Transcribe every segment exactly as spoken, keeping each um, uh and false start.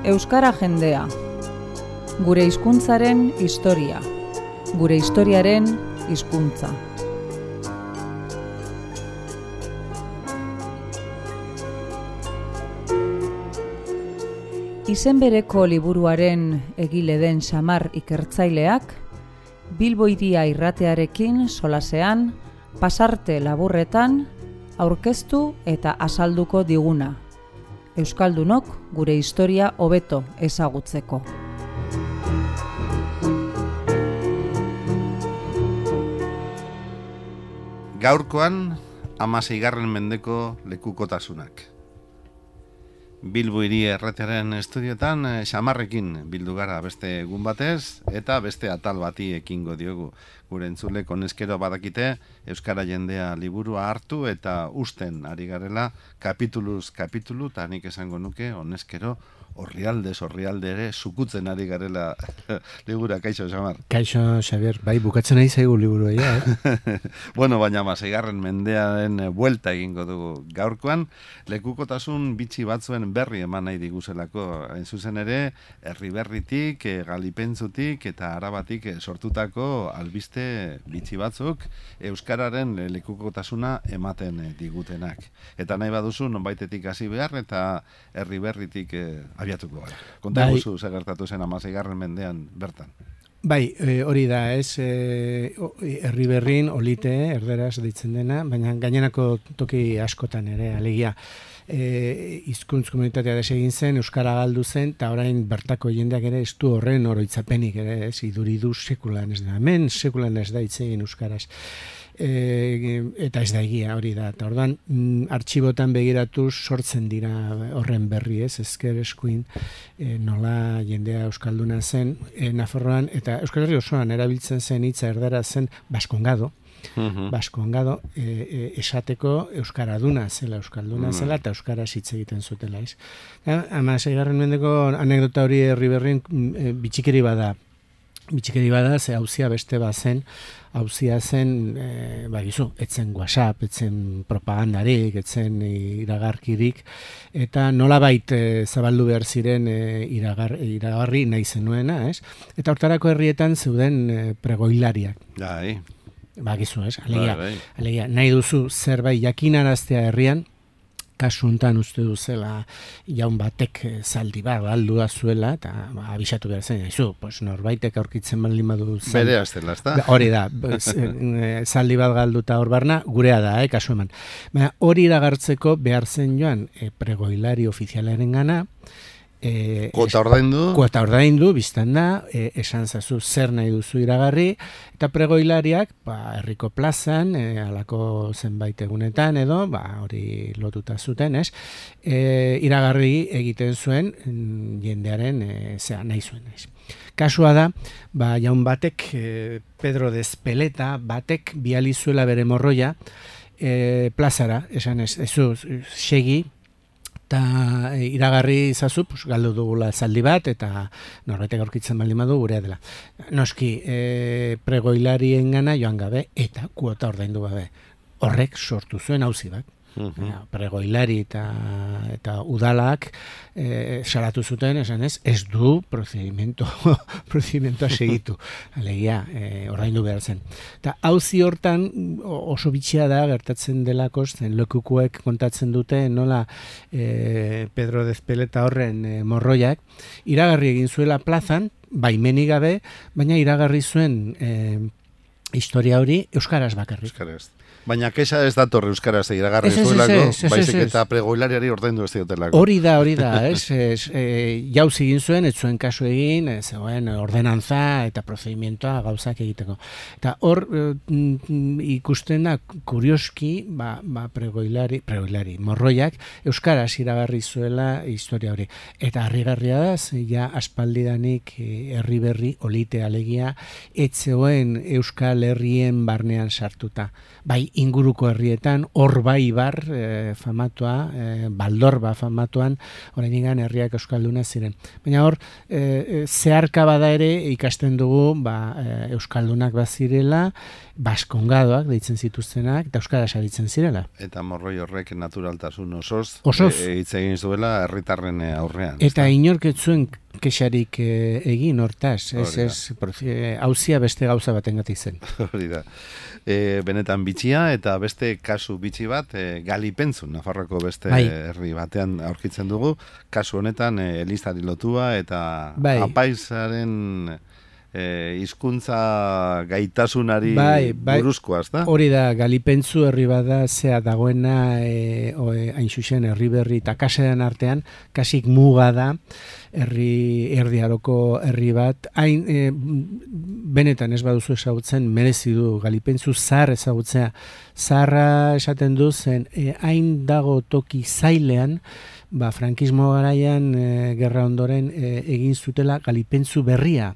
Euskara jendea. Gure hizkuntzaren historia. Gure historiaren hizkuntza. Izen bereko liburuaren egile den Xamar ikertzaileak, Bilbo Hiria irratearekin solasean, pasarte laburretan, aurkeztu eta azalduko diguna. Euskaldunok gure historia hobeto ezagutzeko. Gaurkoan, hamaseigarren mendeko lekukotasunak. Bilbo Hiria erratearen estudioetan Xamarrekin bildu gara beste egun batez eta beste atal bati ekingo diogu. Gure entzulek honezkero badakite Euskara jendea liburua hartu eta usten ari garela kapituluz kapitulu, eta nik esango nuke honezkero orrialdez orrialde ere sukutzen ari garela libura. Kaixo, Xamar. Kaixo, Xavier. Bai, bukatzen ari zaigu liburua, ja, eh? Bueno, baina hamaseigarren mendearen buelta egingo dugu gaurkoan, lekukotasun bitxi batzuen berri eman nahi diguzelako. Hain zuzen ere, Erriberritik, Galipentzutik eta Arabatik sortutako albiste bitxi batzuk euskararen lekukotasuna ematen digutenak. Eta nahi baduzu nonbaitetik hasi behar eta Erriberritik abiatuko gara. Konta guzu bai, zagertatu zen hamaseigarren mendean bertan. Bai, e, hori da, ez, e, Erriberrin, olite, erderaz deitzen dena, baina gainerako toki askotan ere, alegia. E, hizkuntz komunitatea desegin zen, euskara galdu zen, eta orain bertako jendeak ere ez du horren oroitzapenik ere, ez, iduridu sekulan ez da. Hemen sekulan ez da hitz egin euskaraz. E, eta ez da egia hori da, eta orduan mm, artxibotan begiratuz sortzen dira horren berri, ez, ezker eskuin e, nola jendea euskalduna zen e, Nafarroan, eta Euskal Herri osoan erabiltzen zen hitza erdera zen baskongado, uh-huh. baskongado e, e, esateko euskaraduna zela, euskalduna uh-huh. zela, eta euskaraz hitz egiten zutela, ez. hamaseigarren mendeko anekdota hori Erriberrin e, bitxikeri bada, bitxikeri bada, ze hauzia beste bazen, hauzia zen, e, bagizu, etzen WhatsApp, etzen propagandarik, etzen iragarkirik, eta nolabait e, zabaldu behar ziren e, iragar, iragarri nahi zenuena, ez? Eta hortarako herrietan zeuden e, pregoilariak. Bai. Bagizu, ez? Alegia, bai, bai. alegia, nahi duzu zerbait jakinaraztea herrian, kasu hontan uste duzela jaun batek zaldi bat galdu da zuela, eta ba, abisatu behar zen, aizu, pues, norbaitek aurkitzen baldin badu zaldi. Bere aztela, ez da? Hori da, zaldi bat galduta hor barna, gurea da, eh, kasu eman. Baina hori iragartzeko behar zen joan e, pregoilari ofizialaren gana, E, kuota ordaindu. Kuota ordaindu, biztan da, e, esan zazu zer nahi duzu iragarri, eta pregoilariak, ba, herriko plazan, e, alako zenbait egunetan edo, ba, hori lotuta zuten, ez, e, iragarri egiten zuen mm, jendearen, e, zera, nahi zuen, ez. Kasua da, ba, jaun batek, e, Pedro de Ezpeleta, batek bializuela bere morroia, e, plazara, esan ez, ezu, segi, eta iragarri izazu, pues, galdu dugula zaldi bat, eta norbaitek aurkitzen baldin badu gurea dela. Noski, e, pregoilarien gana joan gabe, eta kuota ordaindu gabe. Horrek sortu zuen auzi bat. Uh-huh. Pregoilari eta, eta udalak e, salatu zuten, esan ez, ez du procedimento, procedimento segitu. Alegia, e, ordaindu behar zen. Eta auzi hortan oso bitxia da gertatzen delako, zen lekukuek kontatzen dute nola e, Pedro de Ezpeleta horren e, morroiak iragarri egin zuela plazan, baimenik gabe, baina iragarri zuen e, historia hori euskaraz bakarrik. Euskaraz. Baina kexa ez dator euskaraz iragarri zuelako, baizik eta pregoilariari ordaindu ez diotelako. Hori da, hori da, ez, ez e, jauz egin zuen, ez zuen kasu egin, ez zegoen ordenantza eta procedimientoa gauzak egiteko. Eta hor e, ikusten da, kurioski, ba, ba pregoilari, pregoilari, morroiak, euskaraz iragarri zuela historia hori. Eta harrigarria da, ja aspaldidanik Erriberri, olite alegia, ez zegoen Euskal Herrien barnean sartuta. Bai, inguruko herrietan, Orbaibar e, famatua, e, Baldorba famatuan, oraindikan herriak euskalduna ziren. Baina hor, e, zeharka bada ere ikasten dugu ba, e, euskaldunak bazirela, baskongadoak deitzen zituztenak, eta euskaraz aritzen zirela. Eta morroi horrek naturaltasun osoz, Osoz. E, hitz egin zuela herritarren aurrean. Eta inork ez zuen kexarik e, egin hortaz, ez, ez, hauzia beste gauza batengatik zen. Hori da. E, benetan bitxia, eta beste kasu bitxi bat, e, Galipentzu, Nafarroko beste bai. herri batean aurkitzen dugu, kasu honetan e, elizari lotua, eta bai. apaizaren e, hizkuntza gaitasunari bai, bai. buruzkoa, ezta? Hori da, Galipentzu herri bada zea dagoena e, o, e, hain zuzen herri berri eta kaseran artean, kasik muga da, herri erdiaroko herri bat, hain e, benetan ez baduzu ezagutzen, merezi du Galipentzu zahar ezagutzea. Zaharra esaten du zen, e, hain dago toki zailean, ba, frankismo garaian e, gerra ondoren e, egin zutela Galipentzu berria.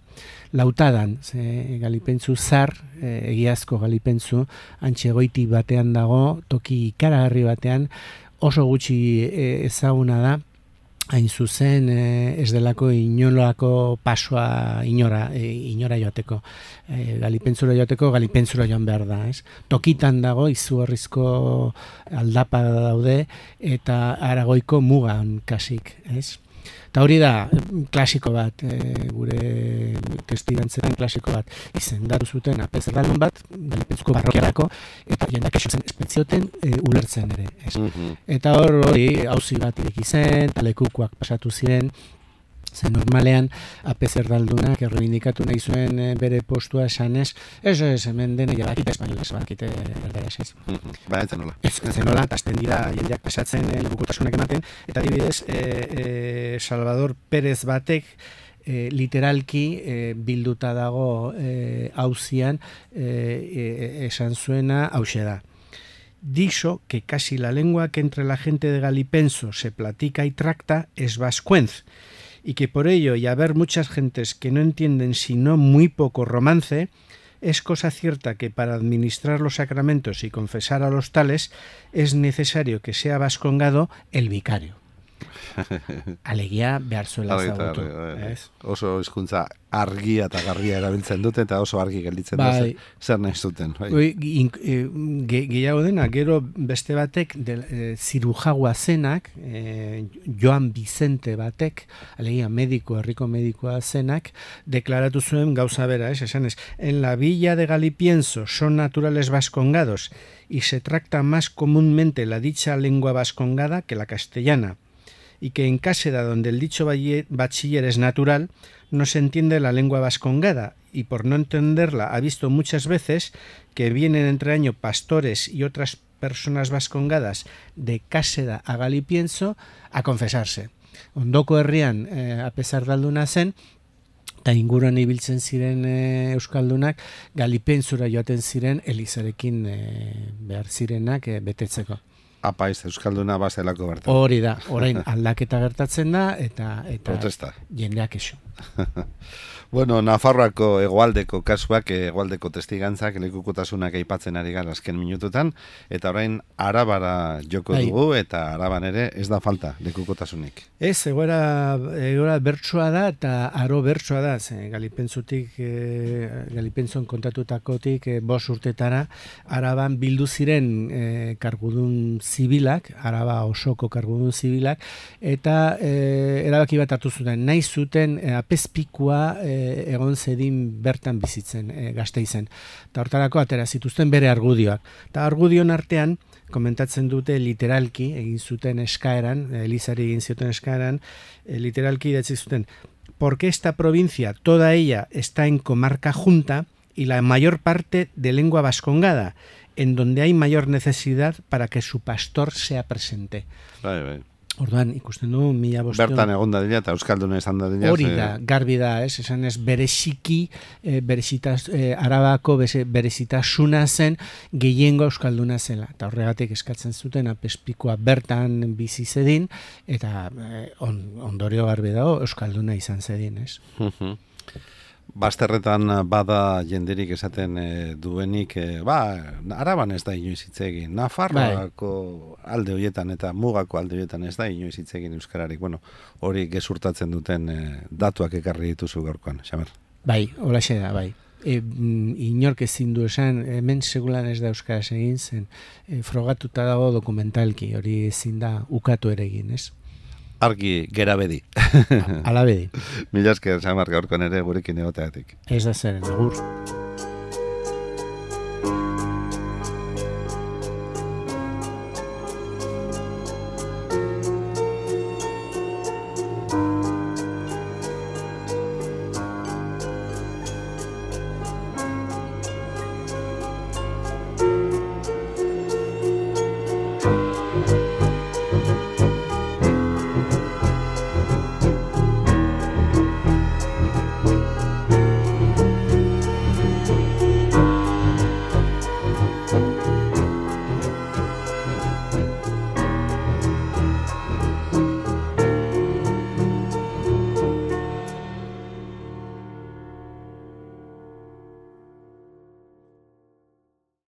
Lautadan, ze, Galipentzu zar, e, egiazko Galipentzu, antxe goiti batean dago, toki ikaragarri batean, oso gutxi e, ezaguna da, hain zuzen e, ez delako inolako pasoa inora, e, inora joateko. E, Galipentzura joateko, Galipentzura joan behar da. Ez? Tokitan dago, izugarrizko aldapa daude, eta Aragoiko mugan kasik. Ez? Eta hori da, klasiko bat, e, gure testigantzaren klasiko bat, izendatu zuten apezerdalun bat, Galipentzuko barrokiarako, eta jendak esotzen espetzioten e, ulertzen ere. Ez? Mm-hmm. Eta hor hori, auzi bat ireki zen, talekukoak pasatu ziren, zen normalean apezerdaldunak errebindikatu nahi zuen e, bere postua esanez, ez ez, hemen dene jabakite espainola, ez bakite erderaz ez. Mm-hmm. Ba, ez zenola. Ez zenola, eta azten dira jendeak pasatzen e, lebukotasunak ematen, eta adibidez, e, e, Salvador Pérez batek, e, literalki e, bilduta dago e, auzian e, e, esan zuena hauxe da. Dicho que casi la lengua que entre la gente de Galipenso se platica y tracta es vascuenz, y que por ello, y haber muchas gentes que no entienden sino muy poco romance, es cosa cierta que para administrar los sacramentos y confesar a los tales es necesario que sea vascongado el vicario. Alegia behar zuela zagutu. Oso hizkuntza argia eta garria erabiltzen dute, eta oso argi gelditzen bai. da zer nahi zuten. Bai. Gehiago dena, gero beste batek, de, e, zirujagua zenak, e, Joan Vicente batek, alegia mediko, herriko medikoa zenak, deklaratu zuen gauza bera, es, esan ez, en la villa de Galipienso son naturales vascongados y se tracta más comúnmente la dicha lengua vascongada que la castellana, y que en Cáseda, donde el dicho bachiller es natural, no se entiende la lengua vascongada, y por no entenderla ha visto muchas veces que vienen entre año pastores y otras personas vascongadas de Cáseda a Galipienso a confesarse. Ondoko herrian, eh, apezerdalduna zen, eta inguruan ibiltzen ziren e, euskaldunak, Galipentzura joaten ziren elizarekin e, behar zirenak e, betetzeko. Apaiz, euskalduna bazelako bertan. Hori da, orain aldaketa gertatzen da, eta, eta protesta. Jendeak eso. Bueno, Nafarroako hegoaldeko kasuak, hegoaldeko testigantzak, lekukotasunak aipatzen ari gara azken minututan, eta orain Arabara joko Hai. dugu, eta Araban ere ez da falta lekukotasunik. Ez, egoera, egoera bertsoa da, eta aro bertsoa da, ze, Galipentzutik, e, Galipentzon kontatutakotik e, bos urtetara, Araban bildu ziren e, kargudun zibilak, Araba osoko kargudun zibilak, eta e, erabaki bat hartu zuten, nahi zuten e, apezpikua e, egon zedin bertan bizitzen, e, Gasteizen. Eta hortarako atera zituzten bere argudioak. Eta argudion artean, komentatzen dute literalki, egin zuten eskaeran, Elizari egin zuten eskaeran, e, literalki idatzi zuten, porque esta provincia, toda ella, está en comarca junta y la mayor parte de lengua vascongada, en donde hay mayor necesidad para que su pastor sea presente. Bai, bai. Orduan, ikusten du, mila bosteun... Bertan egon da dira, eta euskalduna esan da dira. Hori da, garbi da, ez, esan ez, bereziki, e, berezitas, e, Arabako berezitasuna zen, gehiengo euskalduna zela. Eta horregatik eskatzen zuten, apezpikoa bertan bizi zedin, eta e, on, ondorio garbi dago, euskalduna izan zedin, ez? Bazterretan bada jenderik esaten e, duenik, e, ba, Araban ez da inoiz hitz egin, Nafarroako alde horietan eta mugako alde horietan ez da inoiz hitz egin euskararik. Bueno, hori gezurtatzen duten e, datuak ekarri dituzu gaurkoan, Xamer. Bai, holaxe da, bai. E, inork ezin du esan, hemen segulan ez da euskaraz egin zen, e, frogatuta dago dokumentalki, hori ezin da ukatu ere egin, ez? Argi gera bedi. Ala bedi. Mila esker, Xamar, gaurkoan ere gurekin egoteatik. Ez da zeren, agur.